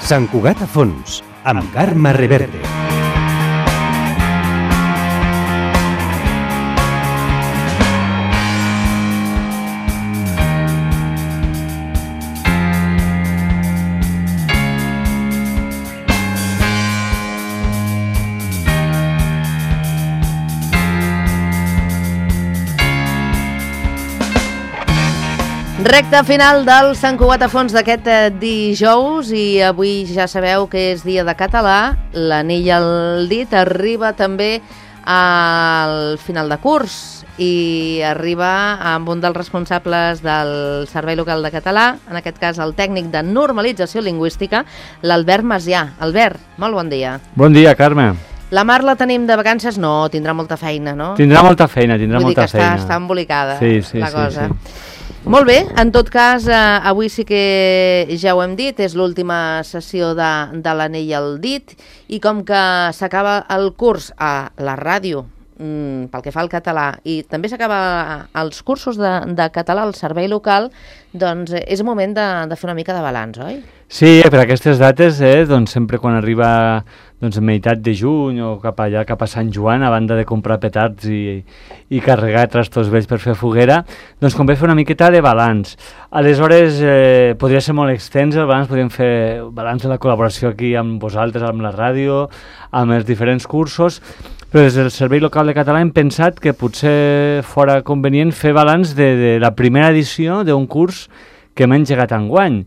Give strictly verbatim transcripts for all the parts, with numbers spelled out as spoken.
Sant Cugat a fons, amb Carme Reverte. Recte final del Sant Cugat a fons d'aquest dijous i avui ja sabeu que és dia de català. L'anell al dit arriba també al final de curs i arriba amb un dels responsables del Servei Local de Català, en aquest cas el tècnic de normalització lingüística, l'Albert Macià. Albert, molt bon dia. Bon dia, Carme. La Mar la tenim de vacances? No, tindrà molta feina, no? Tindrà molta feina, tindrà Vull molta dir que feina. Està, està embolicada sí, sí, la cosa. Sí, sí. Molt bé, en tot cas, eh, avui sí que ja ho hem dit, és l'última sessió de, de l'anell al dit i com que s'acaba el curs a la ràdio mm, pel que fa al català i també s'acaba els cursos de, de català al servei local, doncs és moment de, de fer una mica de balanç, oi? Sí, per aquestes dates, eh, doncs sempre quan arriba doncs, meitat de juny o cap allà, cap a Sant Joan, a banda de comprar petards i, i carregar trastos vells per fer foguera, doncs convé fer una miqueta de balanç. Aleshores, eh, podria ser molt extens el balanç, podríem fer balanç de la col·laboració aquí amb vosaltres, amb la ràdio, amb els diferents cursos, però des del Servei Local de Català hem pensat que potser fora convenient fer balanç de, de la primera edició d'un curs que hem engegat enguany.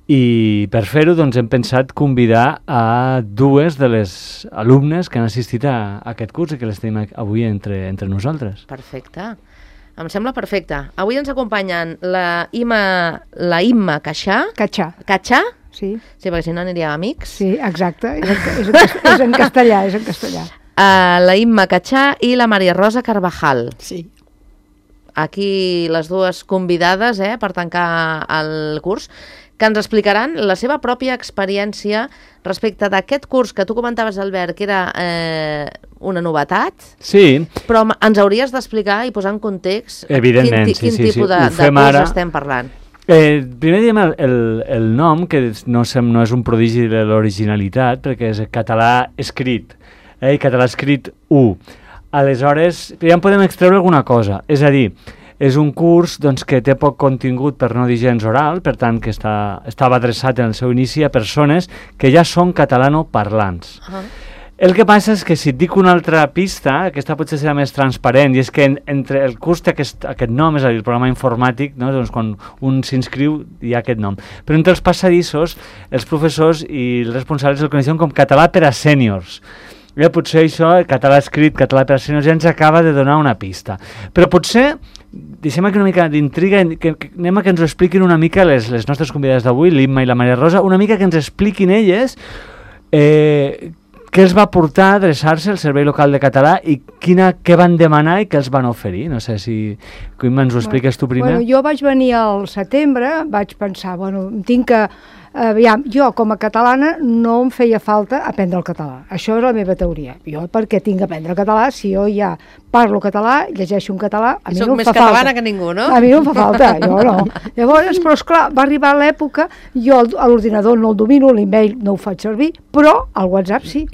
I per fer-ho doncs, hem pensat convidar a dues de les alumnes que han assistit a, a aquest curs i que les tenim avui entre, entre nosaltres. Perfecte. Em sembla perfecte. Avui ens acompanyen la Imma, la Imma Caixà. Catxà. Catxà? Sí. Sí, perquè si no aniria amics. Sí, exacte. És en, és en, és en castellà, és en castellà. Uh, la Imma Caixà i la Maria Rosa Carvajal. Sí. Aquí les dues convidades eh, per tancar el curs, que ens explicaran la seva pròpia experiència respecte d'aquest curs que tu comentaves, Albert, que era eh, una novetat. Sí. Però ens hauries d'explicar i posar en context Evidentment, quin, sí, quin sí, tipus sí. de, de curs ara. Estem parlant. Eh, primer diem el, el, el nom, que no, sem, no és un prodigi de l'originalitat, perquè és català escrit, eh, i català escrit u. Aleshores, ja en podem extreure alguna cosa, és a dir, és un curs doncs, que té poc contingut, per no dir gens oral, per tant que està, estava adreçat en el seu inici a persones que ja són catalanoparlants. Uh-huh. El que passa és que si et dic una altra pista, aquesta potser serà més transparent, i és que en, entre el curs té aquest, aquest nom, és a dir, el programa informàtic, no? Doncs quan un s'inscriu hi ha aquest nom. Però entre els passadissos, els professors i els responsables el coneixen com català per a sèniors. Ja, potser això, català escrit, català per a sèniors, ja ens acaba de donar una pista. Però potser deixem aquí una mica d'intriga, que, que anem a que ens ho expliquin una mica les, les nostres convidades d'avui, l'Imma i la Maria Rosa, una mica que ens expliquin elles eh, què els va portar a adreçar-se al Servei Local de Català i quina, què van demanar i què els van oferir. No sé si, Imma, ens ho expliques tu primer. Bueno, jo vaig venir al setembre, vaig pensar, bueno, tinc que... Aviam, jo com a catalana no em feia falta aprendre el català. Això és la meva teoria. Jo perquè tinc que aprendre el català, si jo ja parlo català, llegeixo un català, a mi no em fa falta. Soc més catalana que ningú, no? A mi no em fa falta, jo no. Llavors, però esclar, va arribar l'època, jo a l'ordinador no el domino, l'email no ho faig servir, però el WhatsApp sí.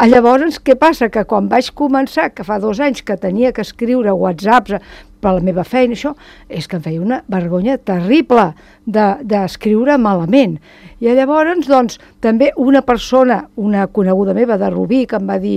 Llavors, què passa? Que quan vaig començar, que fa dos anys que tenia que escriure WhatsApps per la meva feina, això, és que em feia una vergonya terrible d'escriure de, malament. I llavors, doncs, també una persona, una coneguda meva de Rubí, que em va dir,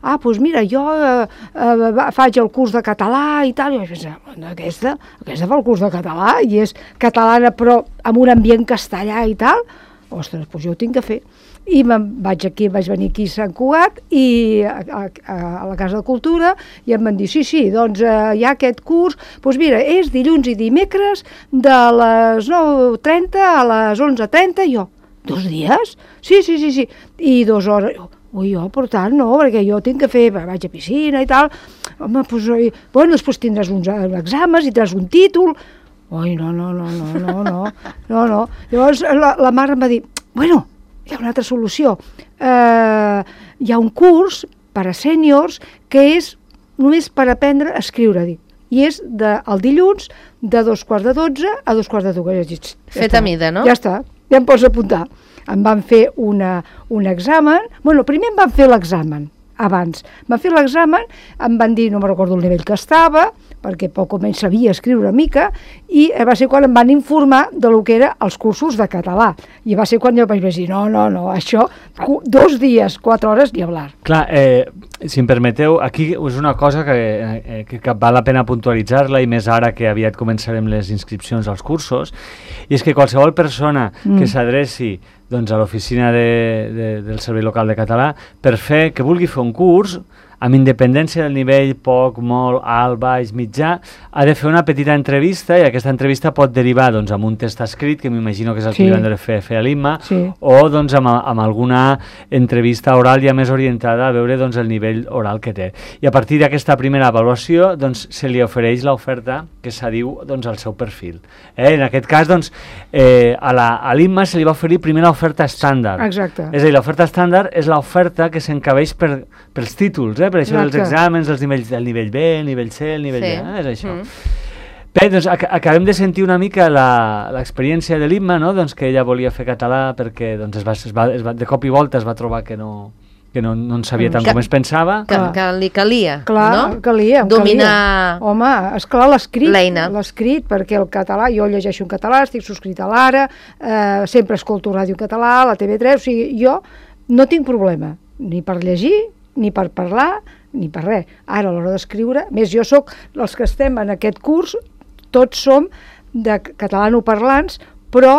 ah, doncs mira, jo eh, eh, faig el curs de català i tal, i vaig pensar, bueno, aquesta, aquesta fa el curs de català i és catalana però amb un ambient castellà i tal, ostres, doncs jo ho tinc que fer. I me'n vaig aquí, vaig venir aquí a Sant Cugat i a, a, a la Casa de Cultura i em van dir, sí, sí, doncs eh, hi ha aquest curs, doncs mira, és dilluns i dimecres de les nou trenta a les onze trenta, i jo, dos dies? Sí, sí, sí, sí, i dues hores, ui, jo, per tant, no, perquè jo tinc que fer, vaig a piscina i tal, home, doncs, bueno, després tindràs uns exàmens i tindràs un títol, ui, no, no, no, no, no, no, no, no, llavors la, la mare em va dir, bueno, hi ha una altra solució. Eh, hi ha un curs per a sèniors que és només per aprendre a escriure, dic. I és de, el dilluns de dos quarts de dotze a dos quarts de dues. Fet a mida, no? Ja està, ja em pots apuntar. em van fer una, un examen, bueno, primer em van fer l'examen, abans. Van fer l'examen, em van dir, no me recordo el nivell que estava, perquè poc o menys sabia escriure una mica, i va ser quan em van informar de lo que eren els cursos de català. I va ser quan jo vaig dir, no, no, no, això, dos dies, quatre hores, ni hablar. Clar, eh, si em permeteu, aquí és una cosa que, eh, que, que val la pena puntualitzar-la, i més ara que aviat començarem les inscripcions als cursos, i és que qualsevol persona mm. que s'adreci doncs, a l'oficina de, de, del Servei Local de Català per fer, que vulgui fer un curs, amb independència del nivell poc, molt, alt, baix, mitjà, ha de fer una petita entrevista, i aquesta entrevista pot derivar doncs, amb un test escrit, que m'imagino que és el sí. que li van de fer, fer a l'Imma, sí. o doncs, amb, amb alguna entrevista oral ja més orientada a veure doncs, el nivell oral que té. I a partir d'aquesta primera avaluació doncs, se li ofereix l'oferta que s'adiu doncs, al seu perfil. Eh? En aquest cas, doncs, eh, a l'Imma se li va oferir primer l'oferta estàndard. Exacte. És a dir, l'oferta estàndard és l'oferta que s'encabeix per, pels títols, eh? Per això dels exàmens, els nivells, el nivell B, el nivell C, el nivell sí. B, eh? És això. Mm. Bé, doncs ac acabem de sentir una mica l'experiència de l'Imma, no? Doncs que ella volia fer català perquè doncs, es va, es va, es va, de cop i volta es va trobar que no, que no, no en sabia tant que, com es pensava. Que, que li calia, clar, no? Calia, dominar... Calia. Home, esclar l'escrit, l'escrit, perquè el català, jo llegeixo en català, estic subscrit a l'Ara, eh, sempre escolto ràdio en català, la T V tres, o sigui, jo no tinc problema, ni per llegir, ni per parlar, ni per res. Ara, a l'hora d'escriure, més jo sóc, els que estem en aquest curs, tots som de catalanoparlants, però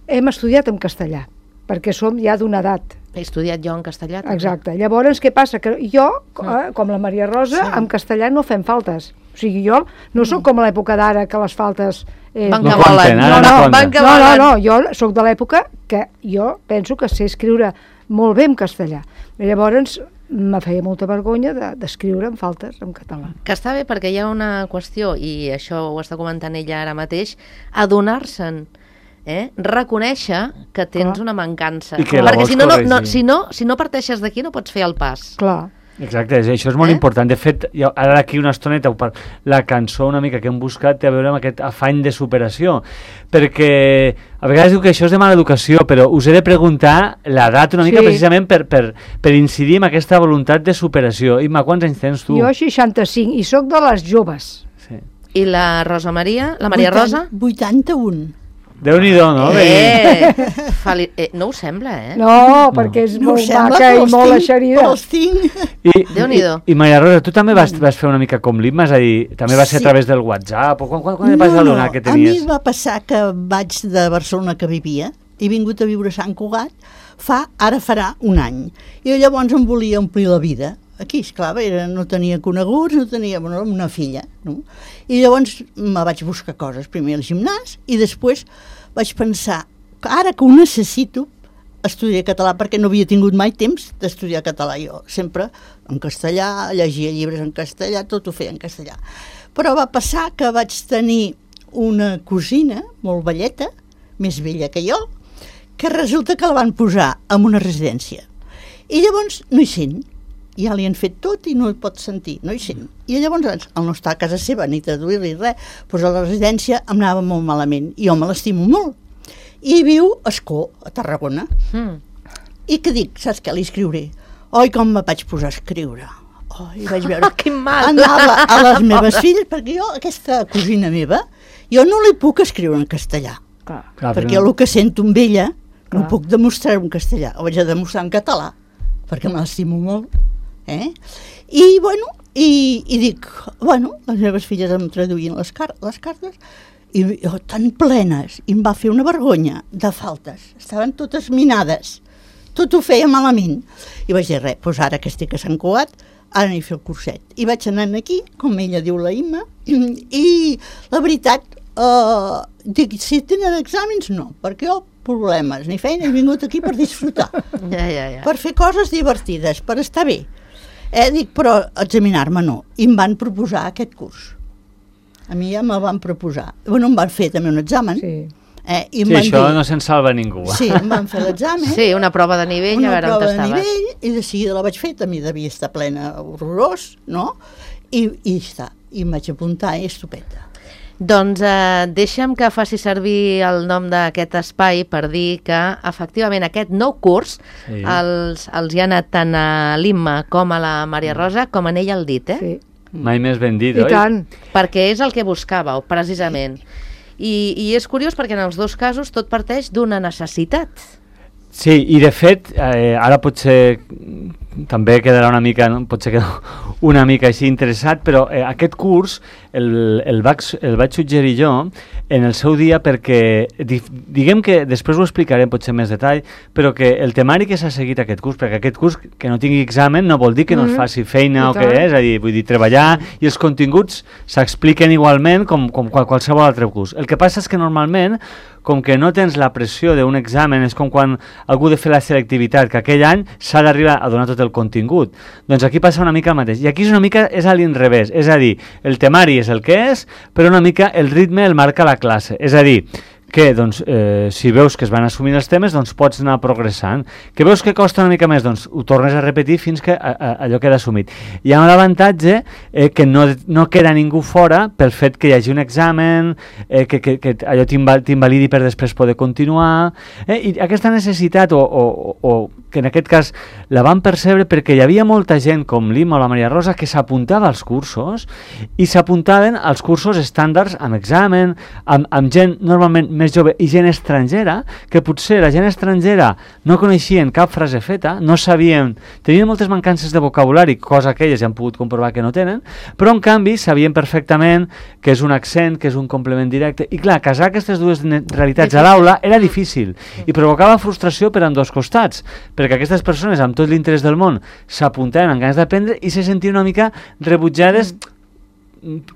hem estudiat en castellà, perquè som ja d'una edat. He estudiat jo en castellà. També. Exacte. Llavors, què passa? Que jo, eh, com la Maria Rosa, sí. en castellà no fem faltes. O sigui, jo no sóc com a l'època d'ara, que les faltes... Eh, van que volen. No, no, no, no, no, no, jo sóc de l'època que jo penso que sé escriure molt bé en castellà. I llavors, me feia molta vergonya d'escriure en faltes en català. Que està bé perquè hi ha una qüestió, i això ho està comentant ella ara mateix, adonar-se'n, eh? reconèixer que tens Clar. una mancança. Perquè si no, no, no, si, no, si no parteixes d'aquí no pots fer el pas. Clar. Exacte, això és molt eh? important. De fet, ara d'aquí una estoneta, la cançó una mica que hem buscat té a veure amb aquest afany de superació, perquè a vegades diu que això és de mala educació, però us he de preguntar l'edat una mica sí. precisament per, per, per incidir en aquesta voluntat de superació. Imma, quants anys tens tu? Jo seixanta-cinc, i sóc de les joves. Sí. I la Rosa Maria? La Maria Rosa? vuitanta-un. Déu-n'hi-do, no? Eh, fali... eh, no ho sembla, eh? No, perquè és no molt maca i molt eixerida. I, Déu-n'hi-do. I, I Maria Rosa, tu també vas, vas fer una mica com l'Imma, és a dir, també va ser sí. a través del WhatsApp, o quan, quan, quan no, vas adonar no, que tenies? A mi va passar que vaig de Barcelona, que vivia, he vingut a viure a Sant Cugat, fa, ara farà un any, i llavors em volia omplir la vida. Aquí, esclar, era, no tenia coneguts, no tenia bueno, una filla, no? I llavors me vaig buscar coses, primer al gimnàs, i després vaig pensar que ara que ho necessito, estudiar català, perquè no havia tingut mai temps d'estudiar català jo, sempre en castellà, llegia llibres en castellà, tot ho feia en castellà. Però va passar que vaig tenir una cosina, molt velleta, més vella que jo, que resulta que la van posar en una residència. I llavors no hi sent. Ja li han fet tot i no hi pot sentir, no hi sent. I llavors, al no estar a casa seva ni traduir-li res, doncs a la residència em anava molt malament, i jo me l'estimo molt. I viu a Escó, a Tarragona. Mm. I que dic, saps què li escriuré? Oi, com me vaig posar a escriure. Oh, i vaig veure... Quin mal! Anava a les meves filles, perquè jo, aquesta cosina meva, jo no li puc escriure en castellà. Clar, clar, perquè no. El que sento amb ella no puc demostrar en castellà, ho vaig a demostrar en català, perquè me l'estimo molt. Eh? I, bueno, i, i dic, bueno, les meves filles em traduïen les, car les cartes, i oh, tan plenes, i em va fer una vergonya de faltes, estaven totes minades, tot ho feia malament. I vaig dir, res, doncs ara que estic a Sant Cugat, ara anem a fer el curset. I vaig anar aquí, com ella diu la Imma, i la veritat, eh, dic, si tenen exàmens, no, perquè jo problemes ni feina, he vingut aquí per disfrutar, ja, ja, ja. per fer coses divertides, per estar bé. Eh, dic, però examinar-me no. I em van proposar aquest curs. A mi ja me'l van proposar. Bueno, em van fer també un examen. Sí, eh, i sí això dir... no se'n salva ningú. Sí, em van fer l'examen. Sí, una prova de nivell, una a veure on estaves. Una prova de nivell, i de seguida la vaig fer, també devia estar plena horrorós, no? I, i està. I em vaig apuntar, i estupenda. Doncs eh, deixa'm que faci servir el nom d'aquest espai per dir que, efectivament, aquest nou curs sí. els, els hi ha anat tant a l'Imma com a la Maria Rosa com a ella el dit, eh? Sí. Mai més ben dit, I oi? tant. Perquè és el que buscàveu, precisament. I, I és curiós perquè en els dos casos tot parteix d'una necessitat. Sí, i de fet, eh, ara potser també quedarà una mica, no? Potser queda una mica així interessat, però eh, aquest curs el, el, vaig, el vaig suggerir jo en el seu dia perquè, di, diguem que després ho explicarem potser més detall, però que el temari que s'ha seguit aquest curs, perquè aquest curs que no tingui examen no vol dir que no es faci feina o què és, és a dir, vull dir, treballar i els continguts s'expliquen igualment com, com qualsevol altre curs. El que passa és que normalment, com que no tens la pressió d'un examen, és com quan algú ha de fer la selectivitat, que aquell any s'ha d'arribar a donar tot el contingut. Doncs aquí passa una mica el mateix. I aquí és una mica, és a l'inrevés, és a dir, el temari és el que és, però una mica el ritme el marca la classe. És a dir, que doncs, eh, si veus que es van assumint els temes, doncs pots anar progressant. Que veus que costa una mica més, doncs ho tornes a repetir fins que a, a, allò queda assumit. Hi ha un avantatge eh, que no, no queda ningú fora pel fet que hi hagi un examen, eh, que, que, que allò t'invalidi per després poder continuar. Eh, I aquesta necessitat, o, o, o que en aquest cas la van percebre perquè hi havia molta gent com l'Imma o la Maria Rosa que s'apuntava als cursos i s'apuntaven als cursos estàndards amb examen, amb, amb gent normalment més jove i gent estrangera, que potser la gent estrangera no coneixien cap frase feta, no sabien, tenien moltes mancances de vocabulari, cosa que elles ja han pogut comprovar que no tenen, però en canvi sabien perfectament que és un accent, que és un complement directe, i clar, casar aquestes dues realitats a l'aula era difícil i provocava frustració per ambdós costats, perquè aquestes persones amb tot l'interès del món s'apuntaven amb ganes d'aprendre i se sentien una mica rebutjades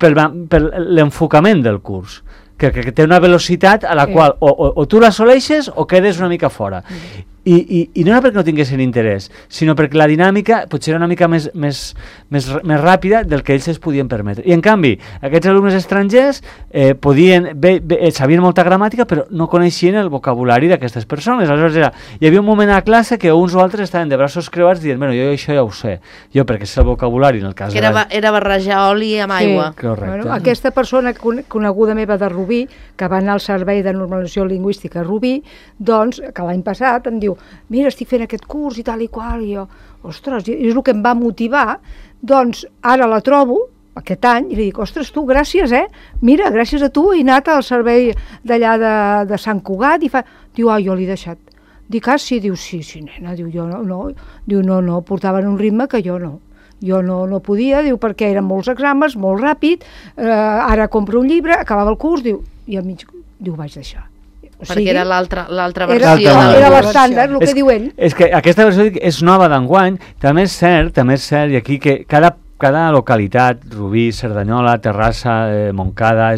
per, per l'enfocament del curs. Que, que, que té una velocitat a la sí. qual o, o, o tu l'assoleixes o quedes una mica fora. Mm. I, i, I no era perquè no tinguessin interès, sinó perquè la dinàmica potser era una mica més, més, més, més ràpida del que ells es podien permetre. I en canvi, aquests alumnes estrangers eh, podien, bé, bé, sabien molta gramàtica, però no coneixien el vocabulari d'aquestes persones. Aleshores era, hi havia un moment a la classe que uns o altres estaven de braços creuats dient, bueno, jo això ja ho sé, jo perquè sé el vocabulari en el cas que era, de la... era barrejar oli amb sí. aigua. Correcte. Bueno, aquesta persona coneguda meva de Rubí, que va anar al Servei de Normalització Lingüística a Rubí, doncs, que l'any passat em diu, mira, estic fent aquest curs i tal i qual, i jo, ostres, és el que em va motivar, doncs ara la trobo, aquest any, i li dic, ostres, tu, gràcies, eh? Mira, gràcies a tu he anat al servei d'allà de, de Sant Cugat, i fa... Diu, ah, jo l'he deixat. Dic, ah, sí, diu, sí, sí, nena, diu, jo no, no, diu, no, no, portaven un ritme que jo no. Jo no, no podia, diu, perquè eren molts exàmens, molt ràpid, eh, ara compro un llibre, acabava el curs, diu, i al mig, diu, vaig deixar. O perquè sigui, era l'altra versió. era, era l'estàndard, el és, que diu ell. És que aquesta versió és nova d'enguany, també és cert, també és cert, i aquí que cada, cada localitat, Rubí, Cerdanyola, Terrassa, eh, Montcada,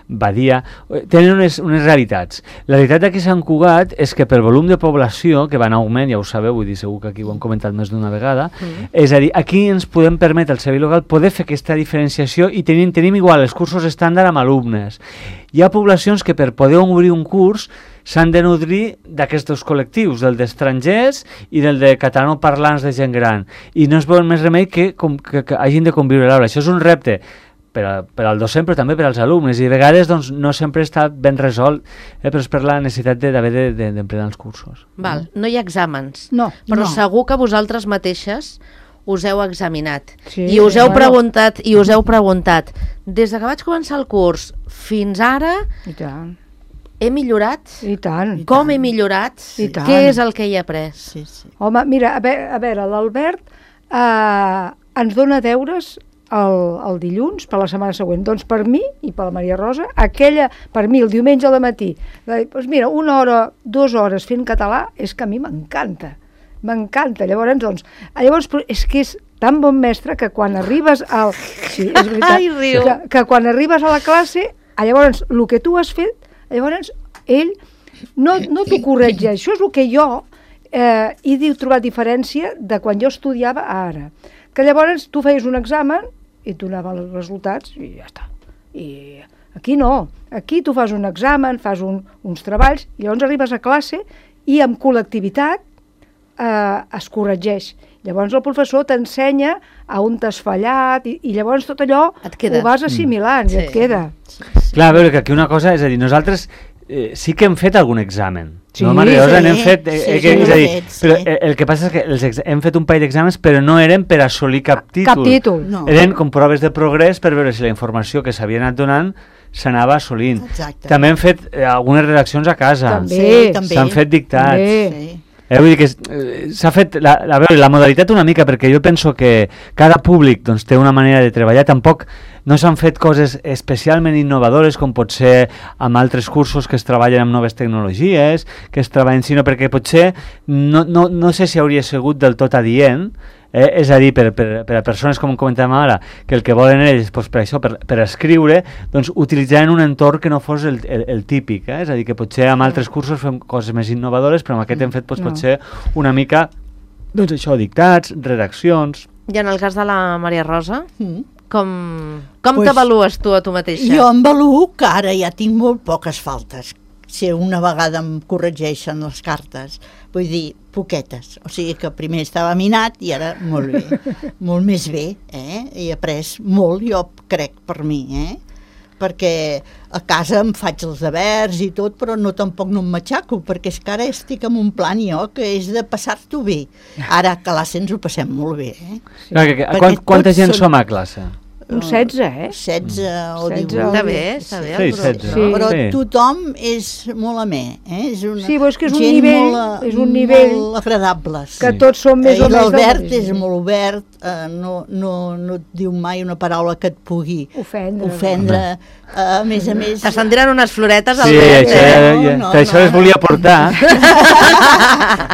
Badia, eh, tenen unes, unes realitats. La realitat d'aquí a Sant Cugat és que per volum de població, que va en augment, ja ho sabeu, vull dir, segur que aquí ho hem comentat més d'una vegada, mm. és a dir, aquí ens podem permetre, el servei local, poder fer aquesta diferenciació i tenim, tenim igual els cursos estàndard amb alumnes. Hi ha poblacions que per poder obrir un curs s'han de nodrir d'aquests col·lectius, del d'estrangers i del de catalanoparlants de gent gran. I no es vol més remei que, com, que, que hagin de conviure a l'aula. Això és un repte per, a, per al docent, però també per als alumnes. I a vegades doncs, no sempre està ben resolt, eh, però és per la necessitat d'haver de, de, d'emplenar els cursos. Val, no hi ha exàmens, No, però no. segur que vosaltres mateixes us heu examinat Sí, i us heu bueno. preguntat i us heu preguntat des de que vaig començar el curs fins ara I tant, he millorat? i tant. Com he millorat? I tant. Què és el que hi he après? Sí, sí. Home, mira, a veure, a veure l'Albert eh, ens dona deures el, el dilluns per la setmana següent. Doncs per mi i per la Maria Rosa, aquella, per mi el diumenge al matí, de, doncs mira, una hora, dues hores fent català, és que a mi m'encanta. M'encanta. Llavors, doncs, llavors, és que és tan bon mestre que quan arribes al... Sí, és veritat. Ai, riu. Que, que quan arribes a la classe, llavors, el que tu has fet, llavors, ell no, no t'ho corregeix. Això és el que jo eh, he trobat diferència de quan jo estudiava a ara. Que llavors tu feies un examen i et donaven els resultats i ja està. I aquí no. Aquí tu fas un examen, fas un, uns treballs, i llavors arribes a classe i amb col·lectivitat eh, es corregeix. Llavors el professor t'ensenya a on t'has fallat i, i llavors tot allò Et queda. ho vas assimilant mm. i Sí. et queda. Sí, sí. Clar, a veure, que aquí una cosa, és a dir, nosaltres eh, sí que hem fet algun examen. Sí, no, Maria Rosa, sí, n'hem fet, eh, sí, eh, sí, que, és a dir, hem fet, sí. però eh, el que passa és que els ex hem fet un parell d'exàmens, però no eren per assolir cap títol. Cap títol. No. Eren com proves de progrés per veure si la informació que s'havia anat donant s'anava assolint. Exacte. També hem fet eh, algunes redaccions a casa. També. Sí, també. S'han fet dictats. També. Sí. Eh, vull dir que eh, s'ha fet la, la, veure, la modalitat una mica, perquè jo penso que cada públic doncs, té una manera de treballar. Tampoc no s'han fet coses especialment innovadores com pot ser amb altres cursos que es treballen amb noves tecnologies, que es treballen, sinó perquè potser no, no, no sé si hauria sigut del tot adient. Eh, és a dir, per, per, per a persones com comentàvem ara, que el que volen ells doncs, per això, per, per escriure, doncs utilitzaren un entorn que no fos el, el, el típic, eh? És a dir, que potser amb altres cursos fem coses més innovadores, però amb aquest hem fet doncs, No. potser una mica, doncs això, dictats, redaccions... I en el cas de la Maria Rosa, Mm. com, com Pues, t'avalues tu a tu mateixa? Jo em valuo que ara ja tinc molt poques faltes. Si una vegada em corregeixen les cartes, vull dir, poquetes. O sigui que primer estava minat i ara molt bé, molt més bé, eh? He après molt, jo crec, per mi, eh? Perquè a casa em faig els devers i tot, però no tampoc no em matxaco, perquè és que ara estic en un plan jo que és de passar-t'ho bé. Ara a classe ens ho passem molt bé, eh? Clar, que, que, Perquè quant, quanta tots gent són- som a classe? Un setze, eh? setze o setze. divuit. Està bé, està bé. Sí, el grup, setze. no? Sí. Però Sí. tothom és molt amè, eh? És una Sí, però és que és un gent nivell- molt, és un nivell molt agradables. Que Sí. tots són més Eh, o I menys... l'Albert del- és molt obert, eh, no, no, no et diu mai una paraula que et pugui Ofendre. ofendre. Eh, a més a més... T'estan tirant unes floretes al Sí, vent, això, eh? No, ja, no, que això no. les volia portar.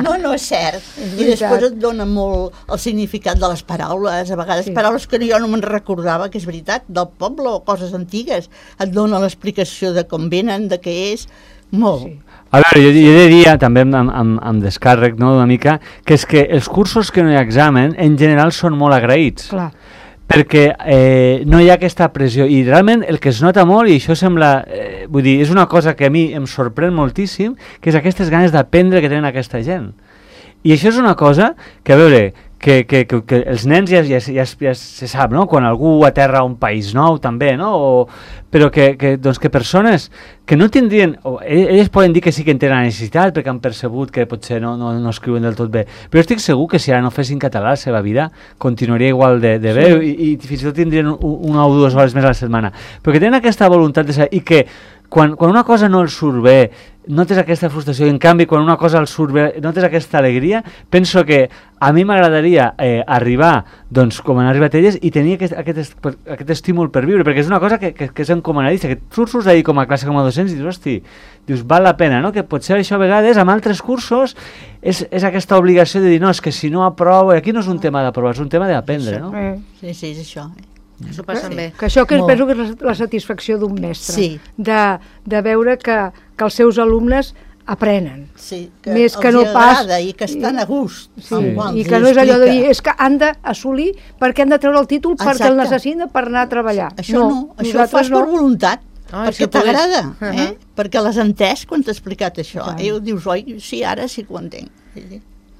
No, no és cert. I veritat. després et dona molt el significat de les paraules, a vegades Sí. paraules que jo no me'n recordava, que és veritat, del poble o coses antigues. Et dona l'explicació de com venen, de què és, molt. Sí. A veure, jo, jo he de dir, també amb, amb, amb descàrrec, no, una mica, que és que els cursos que no hi ha examen, en general, són molt agraïts. Clar. Perquè eh, no hi ha aquesta pressió, i realment el que es nota molt, i això sembla, eh, vull dir, és una cosa que a mi em sorprèn moltíssim, que és aquestes ganes d'aprendre que tenen aquesta gent. I això és una cosa que, a veure, que, que, que, que els nens ja, ja, ja, ja se sap, no? Quan algú aterra a un país nou també, no? O, però que, que, doncs que persones que no tindrien, o, elles poden dir que sí que en tenen la necessitat perquè han percebut que potser no, no, no escriuen del tot bé, però estic segur que si ara no fessin català la seva vida continuaria igual de, de bé, sí. i, i fins i tot tindrien un, una o dues hores més a la setmana, però que tenen aquesta voluntat de saber, i que quan, quan una cosa no els surt bé notes aquesta frustració, i en canvi quan una cosa els surt bé notes aquesta alegria. Penso que a mi m'agradaria eh, arribar doncs com han arribat elles i tenir aquest, aquest, aquest estímul per viure, perquè és una cosa que, que, que és encomanadissa, que tu surts d'ahir com a classe com a docents i dius, hosti, dius, val la pena, no? Que potser això a vegades amb altres cursos és, és aquesta obligació de dir, no, és que si no aprovo, i aquí no és un tema d'aprovar, és un tema d'aprendre, no? Eh. Sí, sí, és això. S'ho passen bé. Que això que Molt. penso que és la, la satisfacció d'un mestre, Sí. de, de veure que, que els seus alumnes aprenen. Sí, que Més que els no hi pas- agrada i que estan a gust. Sí, amb quan i els que hi no és allò de explica. dir, és que han d'assolir perquè han de treure el títol perquè el Exacte. necessiten per anar a treballar. Això no, això ho nosaltres fas per voluntat, Ai, si perquè pogués. t'agrada, Uh-huh. eh? Perquè l'has entès quan t'ha explicat això. Clar. I dius, oi, sí, ara sí que ho entenc.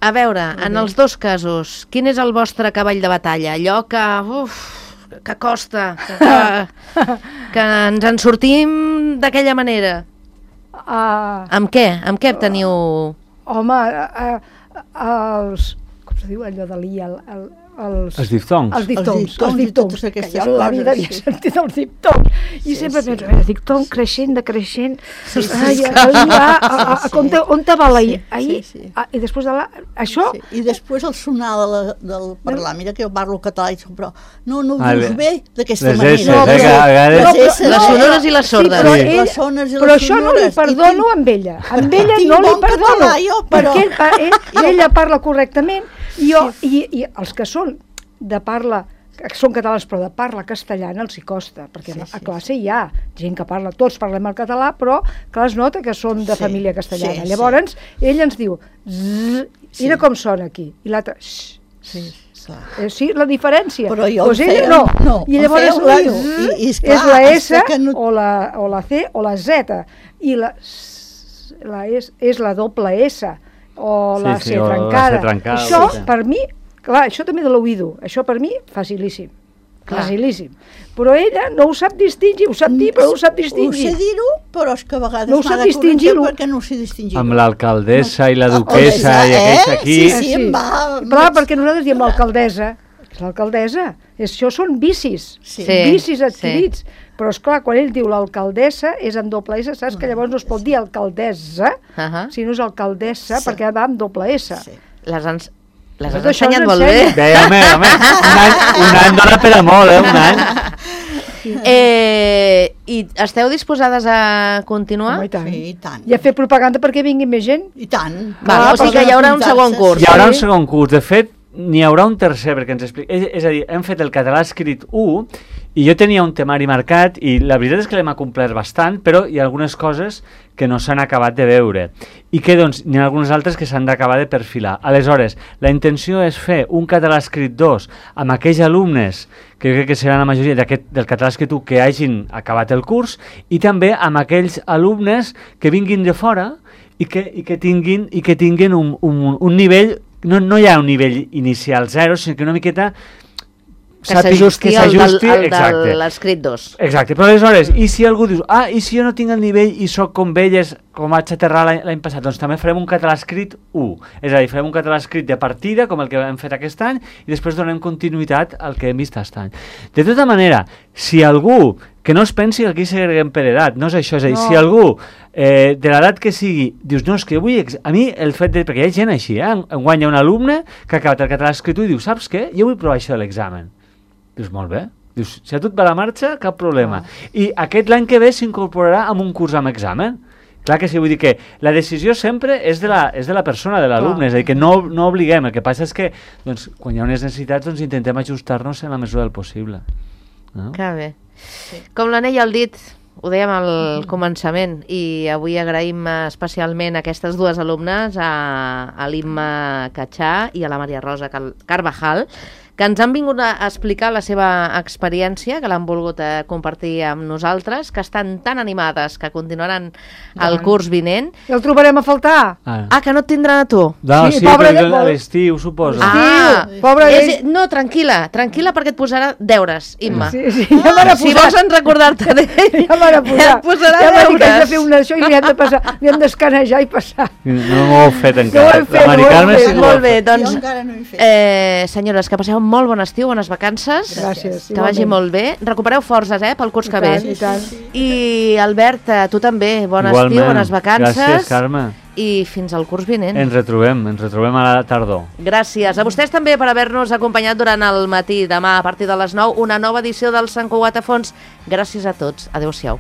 A veure, en els dos casos, quin és el vostre cavall de batalla? Allò que, uf, que costa, que, que ens en sortim d'aquella manera. Uh, Amb què? Amb què teniu... home, uh, uh, els... Com se diu allò de l'I? El, el, els, Els diftongs. els diftongs, Els diftongs els i diftongs, totes que aquestes jo en la coses, vida havia sí. sentit els diftongs, i Sí, sempre sí. penso, el diftong creixent, decreixent, Sí, sí, ai, sí. ai, va, a, a, a, Sí, sí. on, te, on te va la I? Sí, Ahir, sí, sí. ah, i després de la... Això, Sí. I després el sonar de la, del parlar, mira que jo parlo català i dic, però no, no ho Ah, dius bé. bé d'aquesta Les manera. esses, No, eh, que a vegades... no, Les esses, Les no, sonores i les sordes. però, Sí. ell, Les sones i però les això no li sonores. I perdono tinc- amb ella. Amb perquè ella tinc no li bon perdono, català, jo, però- perquè ell, pa- ell, ella parla correctament i, jo, i, i els que són de parla, que són catalans però de parla castellana els hi costa, perquè Sí, a sí, classe hi ha gent que parla, tots parlem el català, però que es nota que són de Sí, família castellana. sí, Llavors, ell ens diu, zzz, mira Sí. com sona aquí, i l'altre, xx, Sí, clar. Eh, sí, la diferència. Però jo pues em ella feia- no. no, I em llavors feia un la lío. Z I- i és és clar, la hasta S que no- o, la, o la C o la Z. I la, S- la és, és la doble S. o la Sí, sí, C o la trencada. C trencada, Això, o la C. per mi, clar, això també de l'oïdo, això per mi, facilíssim. Clar. Facilíssim. Però ella no ho sap distingir, ho sap dir, però no ho sap Ho sé distingir. dir-ho, però és que a vegades No ho m'ha sap de distingir-ho. corregir perquè no ho sé distingir. Amb l'alcaldessa i la Ah, duquesa eh? i aquells aquí... Sí, sí, em va... Clar, perquè nosaltres diem l'alcaldessa, és l'alcaldessa, això són vicis, Sí. Sí. vicis adquirits. Però, esclar, quan ell diu l'alcaldessa, és en doble S, saps que llavors no es pot dir alcaldessa, Ahà. sinó és alcaldessa, Sí. perquè va amb doble S. Sí. Les, ens... Les has Tot això ensenyat ens molt bé. ensenya. Bé, home, home, un any, un any dona per a molt, eh, un any. Eh, I esteu disposades a continuar? Home, i tant. Sí, i tant. I a fer propaganda perquè vingui més gent. I tant. Val, o sigui que hi haurà un segon curs. Hi haurà un Sí. segon curs. De fet, n'hi haurà un tercer, perquè ens explica... És, és a dir, hem fet el català escrit u, i jo tenia un temari marcat, i la veritat és que l'hem acomplert bastant, però hi ha algunes coses que no s'han acabat de veure. I que, doncs, n'hi ha algunes altres que s'han d'acabar de perfilar. Aleshores, la intenció és fer un català escrit dos amb aquells alumnes, que jo crec que seran la majoria d'aquest del català escrit u que hagin acabat el curs, i també amb aquells alumnes que vinguin de fora i que, i que tinguin, i que tinguin un, un, un nivell, no, no hi ha un nivell inicial zero, sinó que una miqueta Que sàpigues s'ajusti que al del- s'ajusti, al de exacte. l'escrit dos. Exacte, però aleshores, i si algú diu, ah, i si jo no tinc el nivell i sóc com elles, com vaig aterrar l'any l'any passat, doncs també farem un català escrit u. És a dir, farem un català escrit de partida, com el que hem fet aquest any, i després donem continuïtat al que hem vist aquest any. De tota manera, si algú, que no es pensi que aquí segreguem per edat, no és això, és a dir, No. si algú eh, de l'edat que sigui, dius, no, és que vull... Ex a mi el fet de... Perquè hi ha gent així, eh? Enguany hi ha un alumne que ha acabat el català escrit u i diu, saps què? Jo vull provar això de l'examen. Dius, molt bé. Dius, si a tu et va la marxa, cap problema. I aquest l'any que ve s'incorporarà amb un curs amb examen. Clar que sí, vull dir que la decisió sempre és de la, és de la persona, de l'alumne, és a dir, que no, no obliguem. El que passa és que, doncs, quan hi ha unes necessitats, doncs intentem ajustar-nos en la mesura del possible. No? Que bé. Com l'anell al dit, ho dèiem al començament, i avui agraïm especialment a aquestes dues alumnes, a, a l'Imma Catxà i a la Maria Rosa Cal Carvajal, que ens han vingut a explicar la seva experiència, que l'han volgut eh, compartir amb nosaltres, que estan tan animades que continuaran el curs vinent. I el trobarem a faltar. Ah, Ah, que no et tindran a tu. no, sí, sí, pobre però de- a l'estiu, suposo. Ah, Estiu, pobre és, d'ell. no, tranquil·la, tranquil·la perquè et posarà deures, Imma. Sí, sí, ja m'ha de Si posar. vols en recordar-te d'ell, Ja m'ha de posar. et posarà ja m'ha dit que hem de deures. fer una això i li hem de passar, li hem d'escanejar i passar. No m'ho heu fet No ho encara. hem fet, La Mari no ho hem Carme fet. sí que ho ha Molt bé, fet. doncs, Jo encara no he fet. eh, senyores, que passeu molt bon estiu, bones vacances. Gràcies, Que vagi igualment. molt bé. Recupereu forces, eh, pel curs I que tant, ve. i tant. I, Albert, eh, tu també, bon Igualment. estiu, bones vacances. Gràcies, Carme. I fins al curs vinent. Ens retrobem, ens retrobem a la tardor. Gràcies a vostès també per haver-nos acompanyat durant el matí. Demà, a partir de les nou, una nova edició del Sant Cugat a Fons. Gràcies a tots. Adéu-siau.